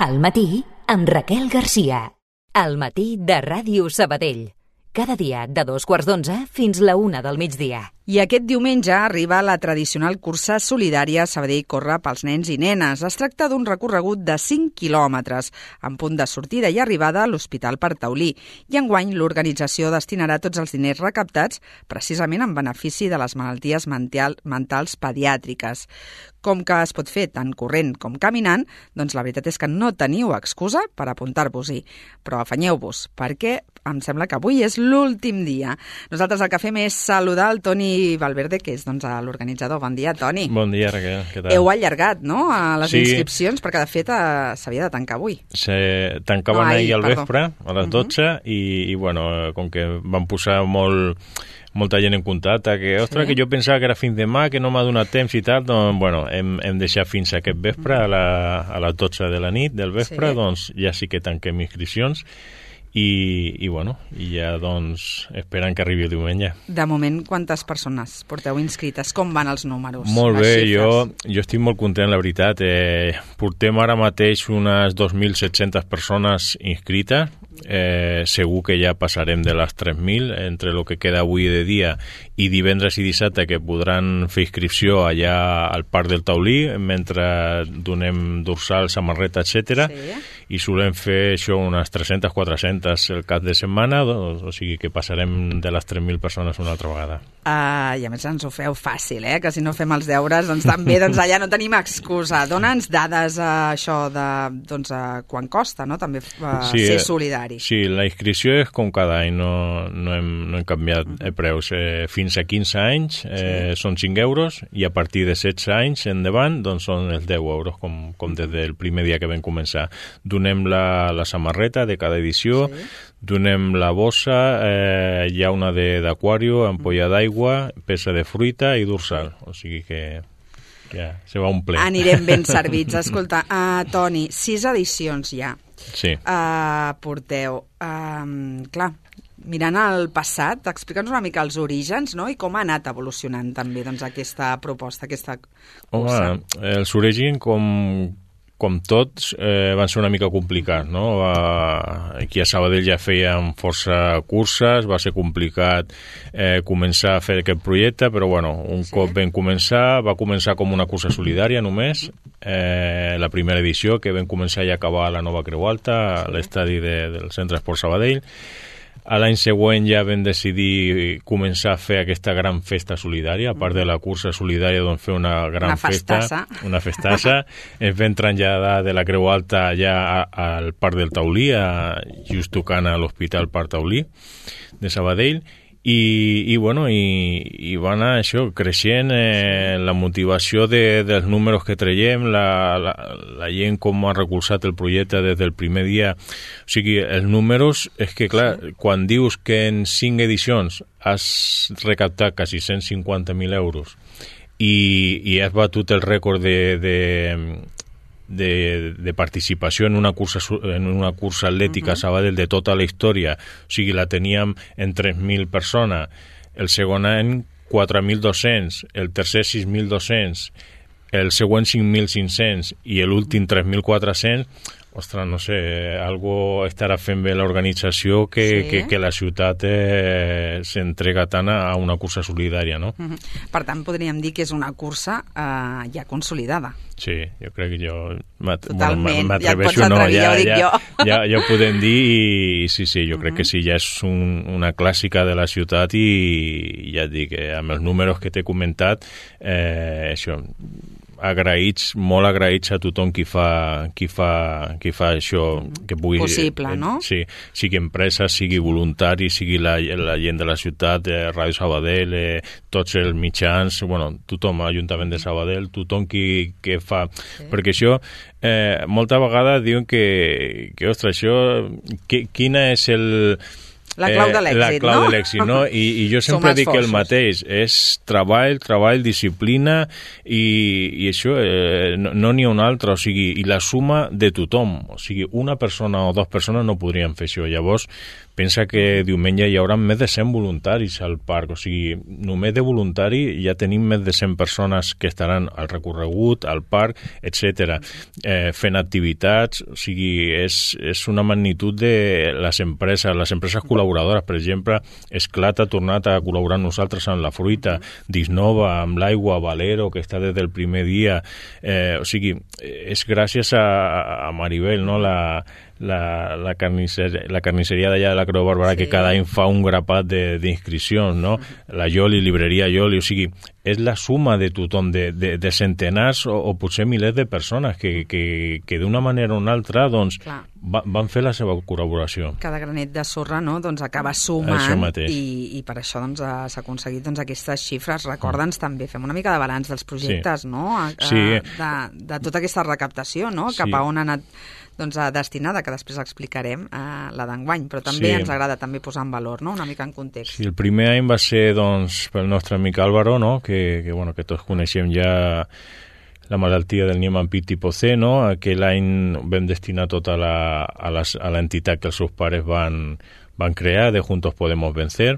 Al matí, amb Raquel Garcia. Al matí de Ràdio Sabadell. Cada dia de 2:15 fins la 1 del migdia. I aquest diumenge arriba la tradicional cursa solidària Sabadell Corre pels nens i nenes. Es tracta d'un recorregut de 5 quilòmetres, amb punt de sortida i arribada a l'Hospital per Taulí. I enguany l'organització destinarà tots els diners recaptats precisament en benefici de les malalties mentals pediàtriques. Com que es pot fer tant corrent com caminant, doncs la veritat és que no teniu excusa per apuntar-vos-hi. Però afanyeu-vos, perquè em sembla que avui és l'últim dia. Nosaltres el que fem és saludar el Toni Valverde, que és l'organitzador. Bon dia, Toni. Bon dia, Raquel. Què tal? Heu allargat, no?, a les inscripcions, perquè de fet s'havia de tancar avui. Tancaven ahir al vespre, a les 12, i bueno, com que van posar molta gent en contacte, que, ostres, que jo pensava que era fins demà, que no m'ha donat temps i tal, doncs, bueno, hem deixat fins a aquest vespre, a les 12 de la nit del vespre, doncs ja sí que tanquem inscripcions, i bueno, i ja doncs esperant que arribi el diumenge. De moment, quantes persones porteu inscrites? Com van els números? Molt bé, jo estic molt content, la veritat. Portem ara mateix unes 2.700 persones inscrites. Segur que ja passarem de les 3.000 entre el que queda avui de dia i divendres i dissabte, que podran fer inscripció allà al Parc del Taulí mentre donem dorsal, samarreta, etc. I solem fer això unes 300-400 el cap de setmana, o sigui que passarem de les 3.000 persones una altra vegada. I a més ens ho feu fàcil, que si no fem els deures doncs també allà no tenim excusa. Dona'ns dades això de quan costa, no?, també ser solidari. Sí, la inscripció és com cada any, no hem canviat preus. Fins a 15 anys són 5 euros i a partir de 16 anys endavant doncs són els 10 euros, com des del primer dia que vam començar. Donem la samarreta de cada edició, donem la bossa, hi ha una d'aquario, ampolla d'aigua, peça de fruita i dorsal, o sigui que ja se va un ple. Anirem ben servits. Escolta, Toni, 6 edicions ja. Sí. Porteu. Clar, mirant el passat, explica'ns una mica els orígens, no?, i com ha anat evolucionant també aquesta proposta, aquesta cursa. Home, els orígens, com tots, van ser una mica complicats, no? Aquí a Sabadell ja feien força curses, va ser complicat començar a fer aquest projecte, però bueno, cop vam començar, va començar com una cursa solidària només, la primera edició, que vam començar i acabar a la Nova Creu Alta, a l'estadi del Centre Esport Sabadell. A l'any següent ja vam decidir començar a fer aquesta gran festa solidària, a part de la cursa solidària, doncs fer una gran festa, una festassa. Ens vam traslladar de la Creu Alta ja al Parc del Taulí, just tocant a l'Hospital Parc Taulí de Sabadell, i bueno, i va anar això, creixent la motivació dels números que traiem, la gent com ha recolzat el projecte des del primer dia. O sigui, els números, és que clar, quan dius que en 5 edicions has recaptat quasi 150.000 euros i has batut el rècord de participació en una cursa atlètica a Sabadell de tota la història, o sigui, la teníem en 3.000 persones, el segon any 4.200, el tercer 6.200, el següent 5.500 i l'últim 3.400. Ostres, no sé, algo estarà fent bé l'organització que la ciutat s'entrega tant a una cursa solidària, no? Per tant, podríem dir que és una cursa ja consolidada. Sí, jo crec que totalment, ja et pots atrevir, ja ho dic jo. Ja ho podem dir i sí, jo crec que sí, ja és una clàssica de la ciutat i ja et dic, amb els números que t'he comentat, això, molt agraïts a tothom qui fa això, que pugui... Possible, no? Sí, sigui empresa, sigui voluntari, sigui la gent de la ciutat, Ràdio Sabadell, tots els mitjans, bueno, tothom, Ajuntament de Sabadell, tothom qui fa... Perquè això, molta vegada diuen que ostres, això, quina és La clau de l'èxit, la clau de l'èxit, no? I jo sempre dic el mateix, és treball, disciplina i això, no n'hi ha un altre, o sigui, i la suma de tothom, o sigui, una persona o dues persones no podrien fer això. Llavors, pensa que diumenge hi haurà més de 100 voluntaris al parc, o sigui, només de voluntari ja tenim més de 100 persones que estaran al recorregut, al parc, etc. Fent activitats, o sigui, és una magnitud de les empreses col·laboradores, per exemple, Esclat ha tornat a col·laborar amb nosaltres amb la fruita, Disnova, amb l'aigua, Valero, que està des del primer dia, o sigui, és gràcies a Maribel, no?, la carnisseria d'allà de la Creu Barberà, que cada any fa un grapat d'inscripcions, no? La Ioli, llibreria Ioli, o sigui, és la suma de tothom, de centenars o potser milers de persones que d'una manera o una altra doncs, van fer la seva col·laboració. Cada granet de sorra, no?, doncs acaba sumant i per això doncs, s'ha aconseguit doncs, aquestes xifres. Recorda'ns també, fem una mica de balanç dels projectes, no? De tota aquesta recaptació, no? Cap a on ha anat doncs, destinada, que després explicarem la d'enguany, però també ens agrada també posar en valor, no?, una mica en context. Sí, el primer any va ser doncs, pel nostre amic Álvaro, no?, que tots coneixem ja la malaltia del Niemann-Pick tipus C, no? Aquell any vam destinar tota a l'entitat que els seus pares van crear, de Juntos Podemos Vencer.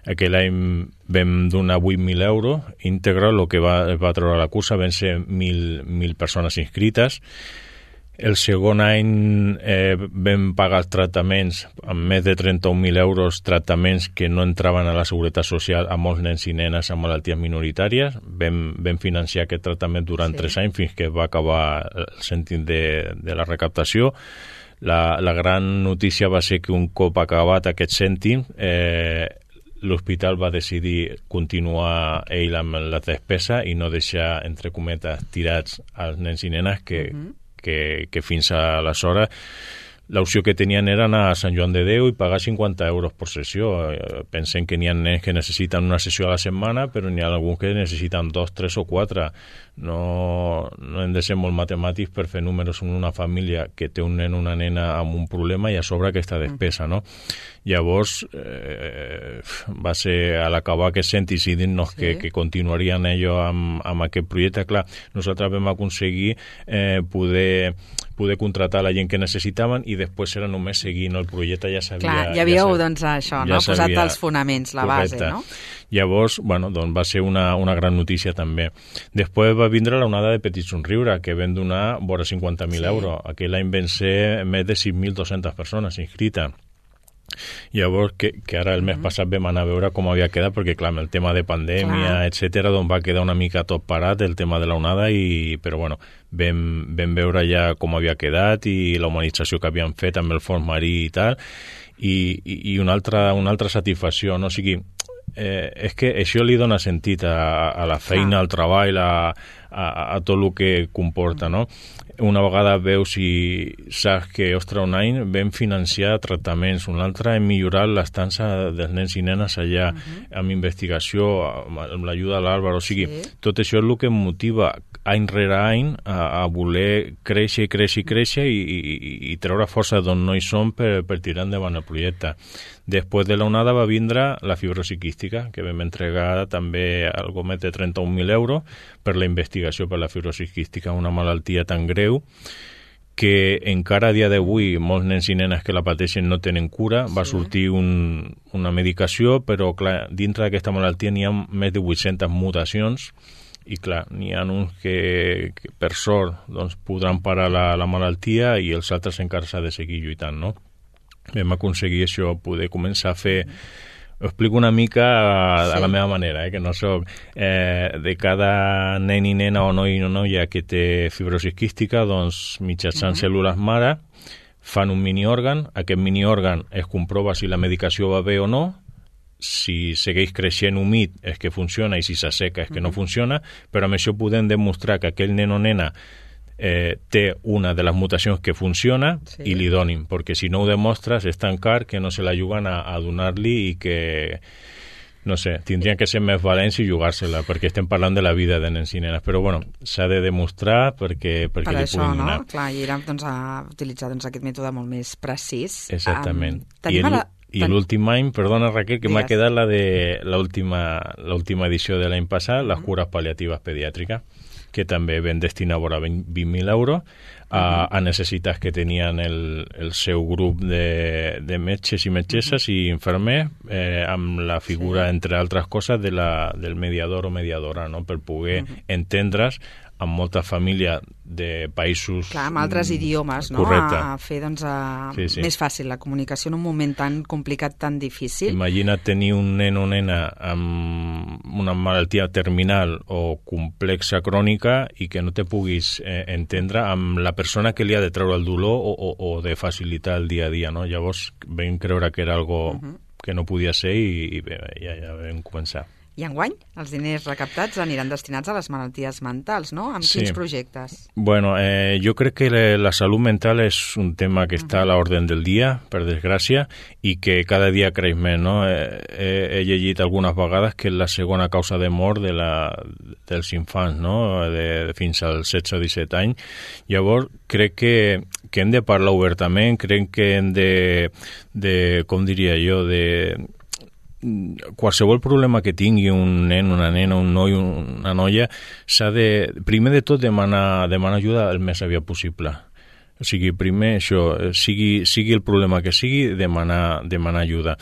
Aquell any vam donar 8.000 euros íntegre, el que va treure la cursa, van ser 1.000 persones inscrites. El segon any vam pagar els tractaments amb més de 31.000 euros, tractaments que no entraven a la Seguretat Social a molts nens i nenes amb malalties minoritàries. Vam financiar aquest tractament durant 3 anys fins que va acabar el sentit de la recaptació. La gran notícia va ser que un cop acabat aquest cèntim, l'hospital va decidir continuar ell amb la despesa i no deixar, entre cometes, tirats als nens i nenes que fins aleshores l'opció que tenien era anar a Sant Joan de Déu i pagar 50 euros per sessió. Pensem que n'hi ha nens que necessiten una sessió a la setmana, però n'hi ha alguns que necessiten 2, 3 o 4. No hem de ser molt matemàtics per fer números en una família que té un nen o una nena amb un problema i a sobre aquesta despesa, no? Llavors, va ser a l'acabar aquest cèntim i dir-nos que continuarien ells amb aquest projecte. Clar, nosaltres vam aconseguir poder contratar la gent que necessitaven i després era només seguir, no? El projecte ja s'havia... Clar, ja havíeu, doncs, això, no? Posat els fonaments, la base, no? Llavors, doncs va ser una gran notícia també. Després va vindre l'onada de Petit Somriure, que vam donar vora 50.000 euros. Aquell any van ser més de 6.200 persones inscrites. Llavors, que ara el mes passat vam anar a veure com havia quedat, perquè clar, amb el tema de pandèmia, etcètera, doncs va quedar una mica tot parat el tema de la onada, però bueno, vam veure ja com havia quedat i la humanització que havien fet amb el fons marí i tal, i una altra satisfacció, no? O sigui, és que això li dona sentit a la feina, al treball, a tot el que comporta, no? Una vegada veus i saps que, ostres, un any vam financiar tractaments, un altre hem millorat l'estança dels nens i nenes allà, amb investigació, amb l'ajuda de l'Àlvaro, o sigui, tot això és el que em motiva any rere any a voler créixer i treure força d'on no hi som per tirar endavant el projecte. Després de l'onada va vindre la fibrosi quística, que vam entregar també algo més de 31.000 euros per la investigació per la fibrosi quística, una malaltia tan greu que encara a dia d'avui molts nens i nenes que la pateixen no tenen cura. Va sortir una medicació, però clar, dintre d'aquesta malaltia n'hi ha més de 800 mutacions i clar, n'hi ha uns que per sort doncs, podran parar la malaltia i els altres encara s'ha de seguir lluitant, no? Vam aconseguir això, poder començar a fer... Ho explico una mica a la meva manera, que no soc... de cada nen i nena o noi o noia que té fibrosi quística, doncs mitjançant cèl·lules mare fan un miniòrgan. Aquest miniòrgan es comprova si la medicació va bé o no. Si segueix creixent humit és que funciona i si s'asseca és que no funciona, però amb això podem demostrar que aquell nen o nena té una de les mutacions que funciona i li donin, perquè si no ho demostres és tan car que no se la juguen a donar-li i que, no sé, tindrien que ser més valents i jugar-se-la, perquè estem parlant de la vida de nens i nenes, però bueno, s'ha de demostrar perquè li puguin donar. No? Clar, i era doncs, a utilitzar doncs, aquest mètode molt més precís. Exactament. I l'últim any, perdona Raquel, que m'ha quedat l'última edició de l'any passat, les cures pal·liatives pediàtriques, que també vam destinar vora 20.000 euros a necessitats que tenien el seu grup de metges i metgesses i infermers, amb la figura, entre altres coses, del mediador o mediadora, no? Per poder entendre's amb molta família de països... Clar, amb altres idiomes, no? A fer més fàcil la comunicació en un moment tan complicat, tan difícil. Imagina't tenir un nen o nena amb una malaltia terminal o complexa crònica i que no te puguis entendre amb la persona que li ha de treure el dolor o de facilitar el dia a dia, no? Llavors vam creure que era algo que no podia ser i ja vam començar. I enguany, els diners recaptats aniran destinats a les malalties mentals, no? Amb quins projectes? Bueno, jo crec que la salut mental és un tema que està a l'ordre del dia, per desgràcia, i que cada dia creix més, no? He llegit algunes vegades que és la segona causa de mort dels infants, no? Fins als 16 o 17 anys. Llavors, crec que hem de parlar obertament, crec que hem de com diria jo, qualsevol problema que tingui un nen, una nena, un noi, una noia, s'ha de, primer de tot, demanar ajuda el més aviat possible. O sigui, primer això, sigui el problema que sigui, demanar ajuda.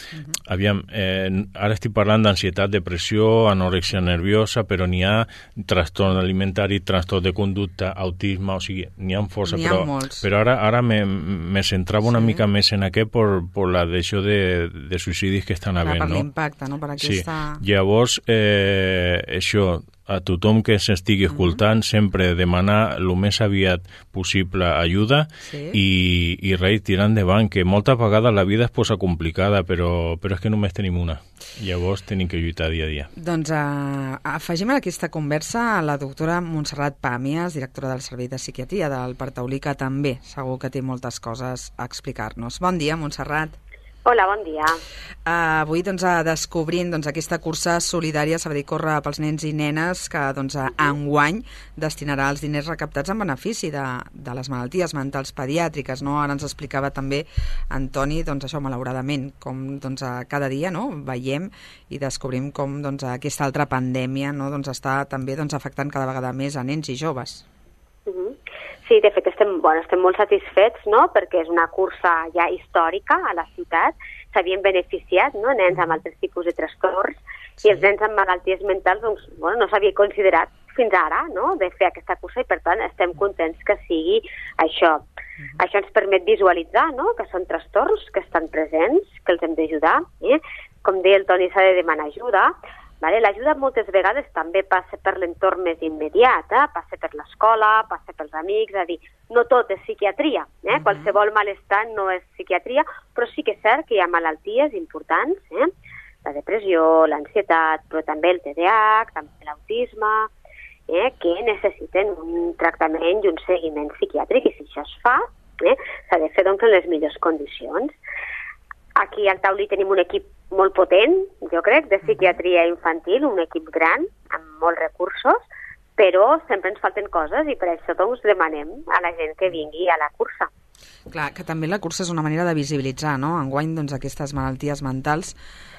Aviam, ara estic parlant d'ansietat, depressió, anorèxia nerviosa, però n'hi ha trastorn alimentari, trastorn de conducta, autisme, o sigui, n'hi ha força. Però ara me centrava una mica més en aquest per la deixó de suïcidis que estan havent, no? Per l'impacte, no? Per aquesta... Sí, llavors, això... a tothom que s'estigui escoltant sempre demanar el més aviat possible ajuda i res, tirar endavant, que moltes vegades la vida es posa complicada, però és que només tenim una. Llavors tenim que lluitar dia a dia. Doncs afegim a aquesta conversa a la doctora Montserrat Pàmies, directora del Servei de Psiquiatria del Partaulí, que també segur que té moltes coses a explicar-nos. Bon dia, Montserrat. Hola, bon dia. Avui descobrint aquesta cursa solidària Sabadell Corre pels nens i nenes que enguany destinarà els diners recaptats en benefici de les malalties mentals pediàtriques, no? Ara ens explicava també Antoni, això malauradament, com cada dia veiem i descobrim com aquesta altra pandèmia està també afectant cada vegada més a nens i joves. Sí, de fet estem molt satisfets, no?, perquè és una cursa ja històrica a la ciutat. S'havien beneficiat, no?, nens amb altres tipus de trastorns i els nens amb malalties mentals no s'havia considerat fins ara, no?, de fer aquesta cursa i per tant estem contents que sigui això. Això ens permet visualitzar, no?, que són trastorns que estan presents, que els hem d'ajudar. Com deia el Toni, s'ha de demanar ajuda. L'ajuda moltes vegades també passa per l'entorn més immediat, passa per l'escola, passa pels amics, és a dir, no tot és psiquiatria, qualsevol malestar no és psiquiatria, però sí que és cert que hi ha malalties importants, la depressió, l'ansietat, però també el TDAH, també l'autisme, que necessiten un tractament i un seguiment psiquiàtric, i si això es fa, s'ha de fer en les millors condicions. Aquí al Taulí tenim un equip molt potent, jo crec, de psiquiatria infantil, un equip gran, amb molts recursos, però sempre ens falten coses i per això demanem a la gent que vingui a la cursa. Clar, que també la cursa és una manera de visibilitzar, no?, enguany aquestes malalties mentals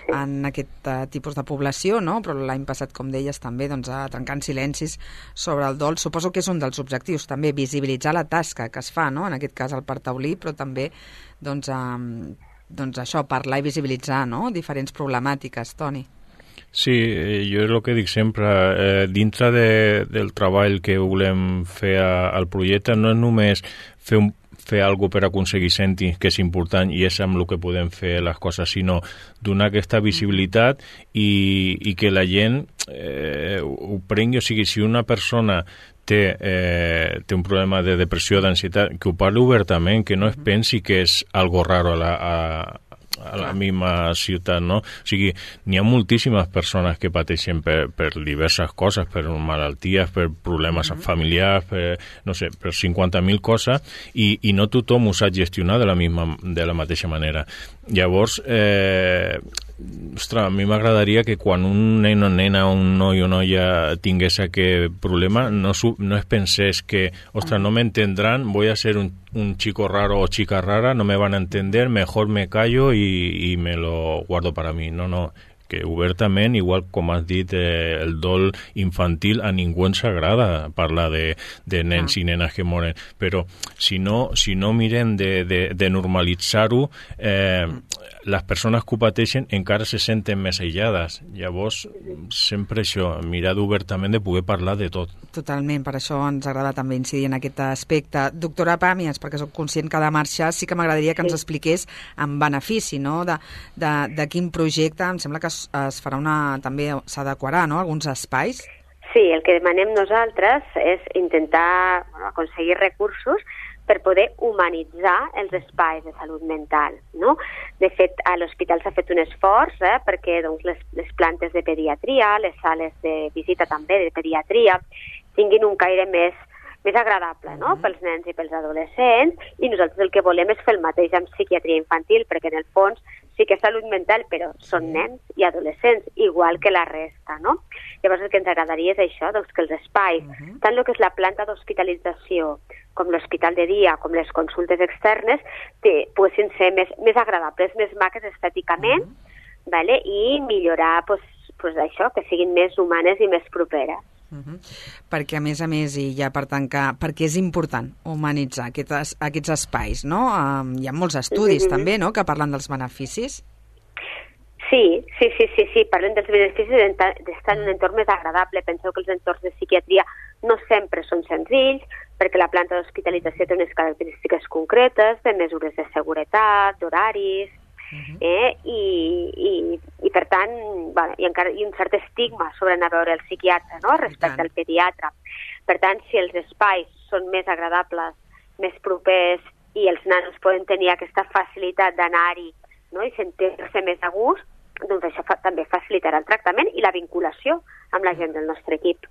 en aquest tipus de població, no?, però l'any passat, com deies, també trencant silencis sobre el dol. Suposo que és un dels objectius, també, visibilitzar la tasca que es fa, no?, en aquest cas al Partaulí, però també, això, parlar i visibilitzar, no?, diferents problemàtiques, Toni. Sí, jo és el que dic sempre, dintre del treball que volem fer al projecte no és només fer alguna per aconseguir sentir que és important i és amb el que podem fer les coses, sinó donar aquesta visibilitat i que la gent ho prengui. O sigui, si una persona té un problema de depressió, d'ansietat, que ho parli obertament, que no es pensi que és algo raro a la misma ciutat, no? O sigui, n'hi ha moltíssimes persones que pateixen per diverses coses, per malalties, per problemes familiars, per 50.000 coses, i no tothom ho sap gestionar de la mateixa manera. Llavors, ostres, a mi m'agradaria que quan un nen o nena, un noi o noia tingués aquest problema, no es pensés que, ostres, no me entendrán, voy a ser un chico raro o chica rara, no me van a entender, mejor me callo y me lo guardo para mí. No, que obertament, igual com has dit, el dol infantil a ningú ens agrada parlar de nens i nenes que moren, però si no mirem de normalitzar-ho, les persones que ho pateixen encara se senten més aïllades. Llavors, sempre això, mirar obertament de poder parlar de tot. Totalment, per això ens agrada també incidir en aquest aspecte. Doctora Pàmies, perquè soc conscient que de marxa, sí que m'agradaria que ens expliqués en benefici, no?, de quin projecte. Em sembla que es farà també s'adequarà, no?, alguns espais. Sí, el que demanem nosaltres és intentar aconseguir recursos per poder humanitzar els espais de salut mental, no? De fet, a l'hospital s'ha fet un esforç perquè doncs, les plantes de pediatria, les sales de visita també de pediatria, tinguin un caire més agradable, no?, pels nens i pels adolescents, i nosaltres el que volem és fer el mateix amb psiquiatria infantil, perquè en el fons sí que és salut mental, però són nens i adolescents, igual que la resta, no? Llavors el que ens agradaria és això, doncs que els espais, tant el que és la planta d'hospitalització, com l'hospital de dia, com les consultes externes, poguessin ser més agradables, més maques estèticament, vale? I millorar això, que siguin més humanes i més properes. Perquè, a més, i ja per tancar, perquè és important humanitzar aquests espais, no? Hi ha molts estudis també, no?, que parlen dels beneficis. Sí, parlen dels beneficis d'estar en un entorn més agradable. Penseu que els entorns de psiquiatria no sempre són senzills, perquè la planta d'hospitalització té unes característiques concretes, de mesures de seguretat, d'horaris, i per tant, hi ha un cert estigma sobre anar a veure el psiquiatre, no?, respecte al pediatre. Per tant, si els espais són més agradables, més propers, i els nanos poden tenir aquesta facilitat d'anar-hi, no?, i sentir-se més a gust, doncs això també facilitarà el tractament i la vinculació amb la gent del nostre equip.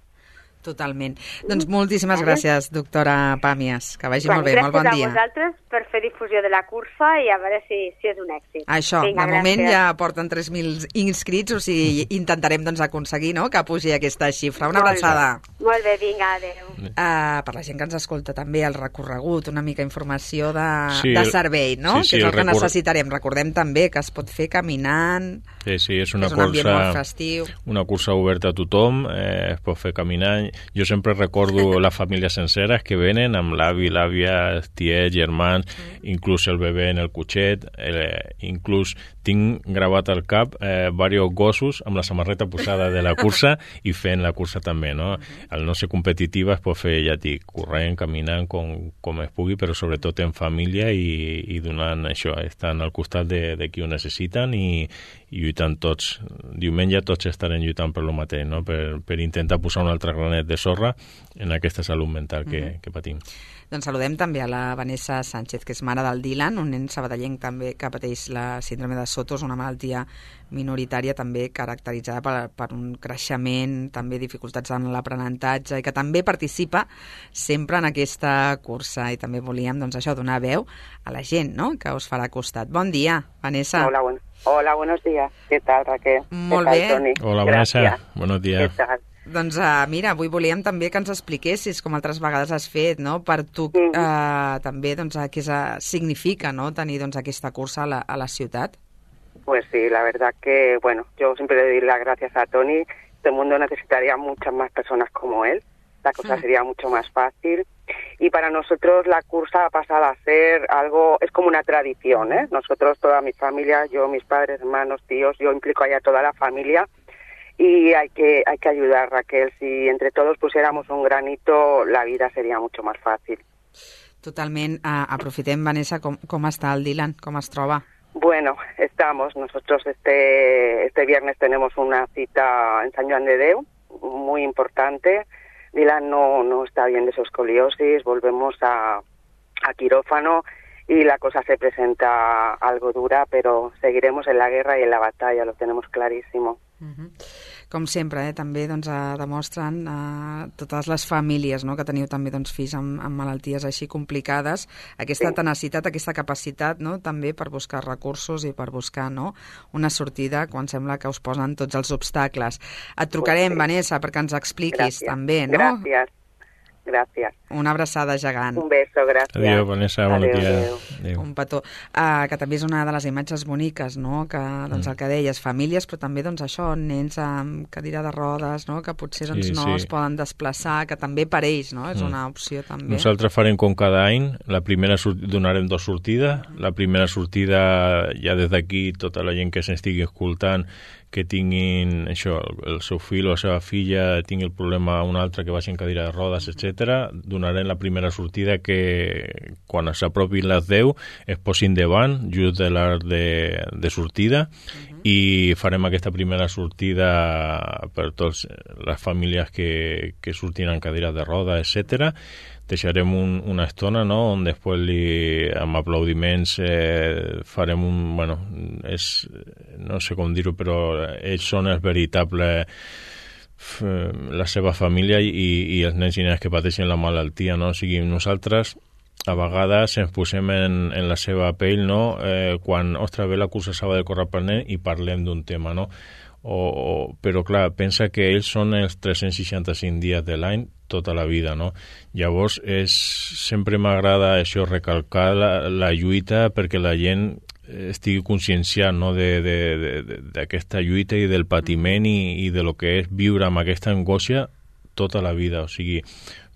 Totalment. Doncs moltíssimes gràcies, doctora Pàmies. Que vagi molt bé, molt bon dia. Gràcies a vosaltres per fer difusió de la cursa i a veure si és un èxit. Això, de moment ja porten 3.000 inscrits, o sigui, intentarem aconseguir, no?, que pugi aquesta xifra. Una abraçada. Molt bé, vinga, adéu. Per la gent que ens escolta també el recorregut, una mica informació de servei, no?, que és el que necessitarem. Recordem també que es pot fer caminant. Sí, és una cursa oberta a tothom, es pot fer caminant. Jo sempre recordo les famílies senceres que venen amb l'avi, l'àvia, tiets, germans, inclús el bebè en el cotxet, inclús tinc gravat al cap diversos gossos amb la samarreta posada de la cursa i fent la cursa també, no? Al no ser competitiva es pot fer, ja dic, corrent, caminant, com es pugui, però sobretot en família i donant això, estan al costat de qui ho necessiten i lluitant tots. Diumenge tots estarem lluitant per lo mateix, no?, per intentar posar un altre granet de sorra en aquesta salut mental que patim. Doncs saludem també a la Vanessa Sánchez, que és mare del Dylan, un nen sabadellenc també que pateix la síndrome de Sotos, una malaltia minoritària també caracteritzada per un creixement, també dificultats en l'aprenentatge, i que també participa sempre en aquesta cursa. I també volíem, doncs això, donar veu a la gent, no?, que us farà costat. Bon dia, Vanessa. Hola, buenos días. ¿Qué tal, Raquel? Molt bé. Toni? Hola, Vanessa. Buenos días. ¿Qué tal? Doncs mira, avui volíem també que ens expliquessis, com altres vegades has fet, no?, per tu també, doncs, què significa, no?, tenir doncs aquesta cursa a la ciutat. Pues sí, la verdad que, bueno, yo siempre le doy las gracias a Toni. Este mundo necesitaría muchas más personas como él. La cosa sería mucho más fácil. Y para nosotros la cursa ha pasado a ser algo, es como una tradición, ¿eh? Nosotros, toda mi familia, yo, mis padres, hermanos, tíos, yo implico ahí a toda la familia. Y hay que ayudar, Raquel. Si entre todos pusiéramos un granito, la vida sería mucho más fácil. Totalment. Aprofitem, Vanessa, com està el Dylan? Com es troba? Bueno, estamos. Nosotros este viernes tenemos una cita en San Joan de Déu, muy importante. Dylan no está bien de su escoliosis, volvemos a quirófano y la cosa se presenta algo dura, pero seguiremos en la guerra y en la batalla, lo tenemos clarísimo. Com sempre, també demostren totes les famílies, no?, que teniu també fills amb malalties així complicades, aquesta tenacitat, aquesta capacitat, no?, també per buscar recursos i per buscar, no?, una sortida quan sembla que us posen tots els obstacles. Et trucarem, Vanessa, perquè ens expliquis també, no? Gràcies. Una abraçada gegant. Un beso, gràcies. Adéu, Vanessa, bon dia. Adéu. Un petó. Que també és una de les imatges boniques, no?, que, el que deies, famílies, però també, això, nens amb cadira de rodes, no?, que potser no es poden desplaçar, que també per ells, no?, és una opció també. Nosaltres farem com cada any, donarem 2 sortides. La primera sortida, ja des d'aquí, tota la gent que s'estigui escoltant, que tinguin això, el seu fill o la seva filla tingui el problema un altre que vagi en cadira de rodes, etc. Donarem la primera sortida que quan s'apropin les 10 es posin davant, just de l'hora de sortida, i farem aquesta primera sortida per totes les famílies que surtin en cadires de rodes, etc. Deixarem una estona, no?, on després amb aplaudiments farem no sé com dir-ho, però ells són els veritables, la seva família i els nens i nenes que pateixen la malaltia, no? O sigui, nosaltres a vegades ens posem en la seva pell, no?, quan, ostres, ve la cursa Sabadell Corre pel Nen i parlem d'un tema, no? Però clar, pensa que ells són els 365 dies de l'any tota la vida, no? Llavors sempre m'agrada això, recalcar la lluita perquè la gent estigui conscienciat, no?, d'aquesta lluita i del patiment i de lo que és viure amb aquesta angoixa tota la vida. O sigui,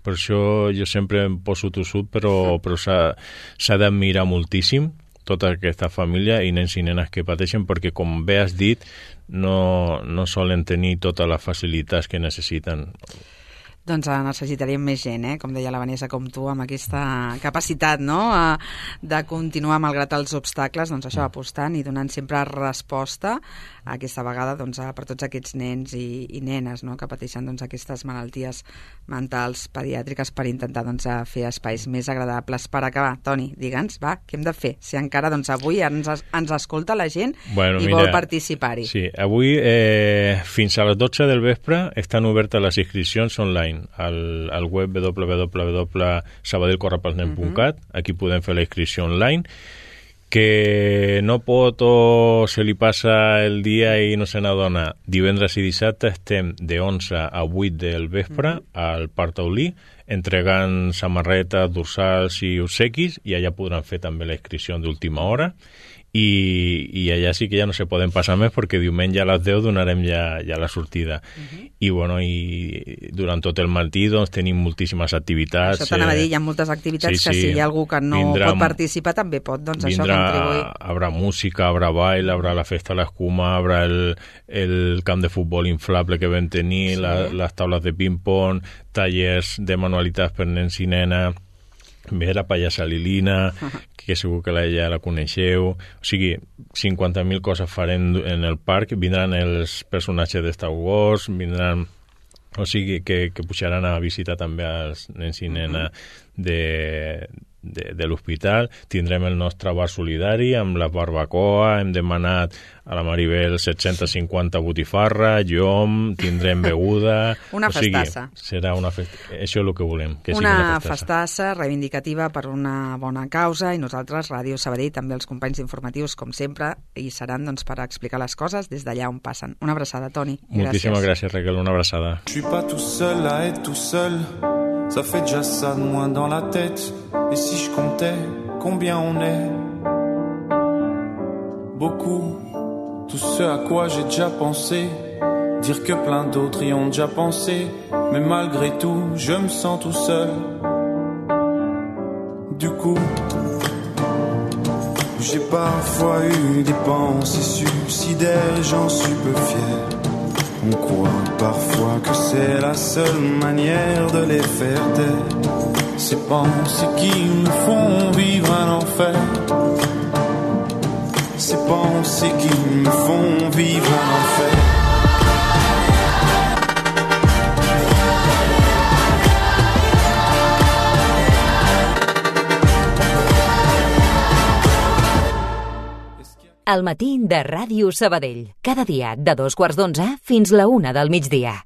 per això jo sempre em poso tossut, però s'ha d'admirar moltíssim tota aquesta família i nens i nenes que pateixen, perquè, com bé has dit, no solen tenir totes les facilitats que necessiten. Doncs necessitaríem més gent, com deia la Vanessa, com tu, amb aquesta capacitat, no?, de continuar malgrat els obstacles, això, apostant i donant sempre resposta aquesta vegada per tots aquests nens i nenes, no?, que pateixen aquestes malalties mentals pediàtriques, per intentar fer espais més agradables. Per acabar, Toni, digue'ns, va, què hem de fer? Si encara avui ens escolta la gent i vol participar-hi. Sí, avui fins a les 12 del vespre estan obertes les inscripcions online al web www.sabadellcorrepelsnen.cat. Aquí podem fer la inscripció online. Que no pot o se li passa el dia i no se n'adona, divendres i dissabte estem de 11 a 8 del vespre al Parc Taulí entregant samarretes, dorsals i obsequis, i allà podran fer també la inscripció d'última hora. I allà sí que ja no se poden passar més, perquè diumenge a les 10 donarem ja la sortida. I durant tot el matí tenim moltíssimes activitats. Això t'anava a dir, hi ha moltes activitats que si hi ha algú que no pot participar també pot contribuir. Habrà música, habrà ball, habrà la festa de l'escuma, habrà el camp de futbol inflable que vam tenir, les taules de ping-pong, tallers de manualitats per nens i nenes, ve la pallassa Lilina, que segur que ja la coneixeu. O sigui, 50.000 coses farem en el parc. Vindran els personatges de Star Wars, vindran... O sigui, que pujaran a visitar també els nens i nenes de l'hospital. Tindrem el nostre bar solidari amb la barbacoa. Hem demanat a la Maribel 750 botifarra, llom, tindrem beguda... Una festassa. Serà una festassa. Això és el que volem, que sigui una festassa reivindicativa per una bona causa, i nosaltres, Ràdio Sabadell, també els companys informatius, com sempre, hi seran per explicar les coses des d'allà on passen. Una abraçada, Toni. Moltíssimes gràcies, Raquel, una abraçada. Je suis pas tout seul à être tout seul. Ça fait déjà ça de moins dans la tête. Et si je comptais combien on est? Beaucoup. Tout ce à quoi j'ai déjà pensé. Dire que plein d'autres y ont déjà pensé. Mais malgré tout, je me sens tout seul. Du coup, j'ai parfois eu des pensées suicidaires et j'en suis peu fier. On croit parfois que c'est la seule manière de les faire taire. Ces pensées qui nous font vivre un enfer. Ces pensées qui nous font vivre un enfer. Al matí de Ràdio Sabadell. Cada dia de 2:15 fins la 1 del migdia.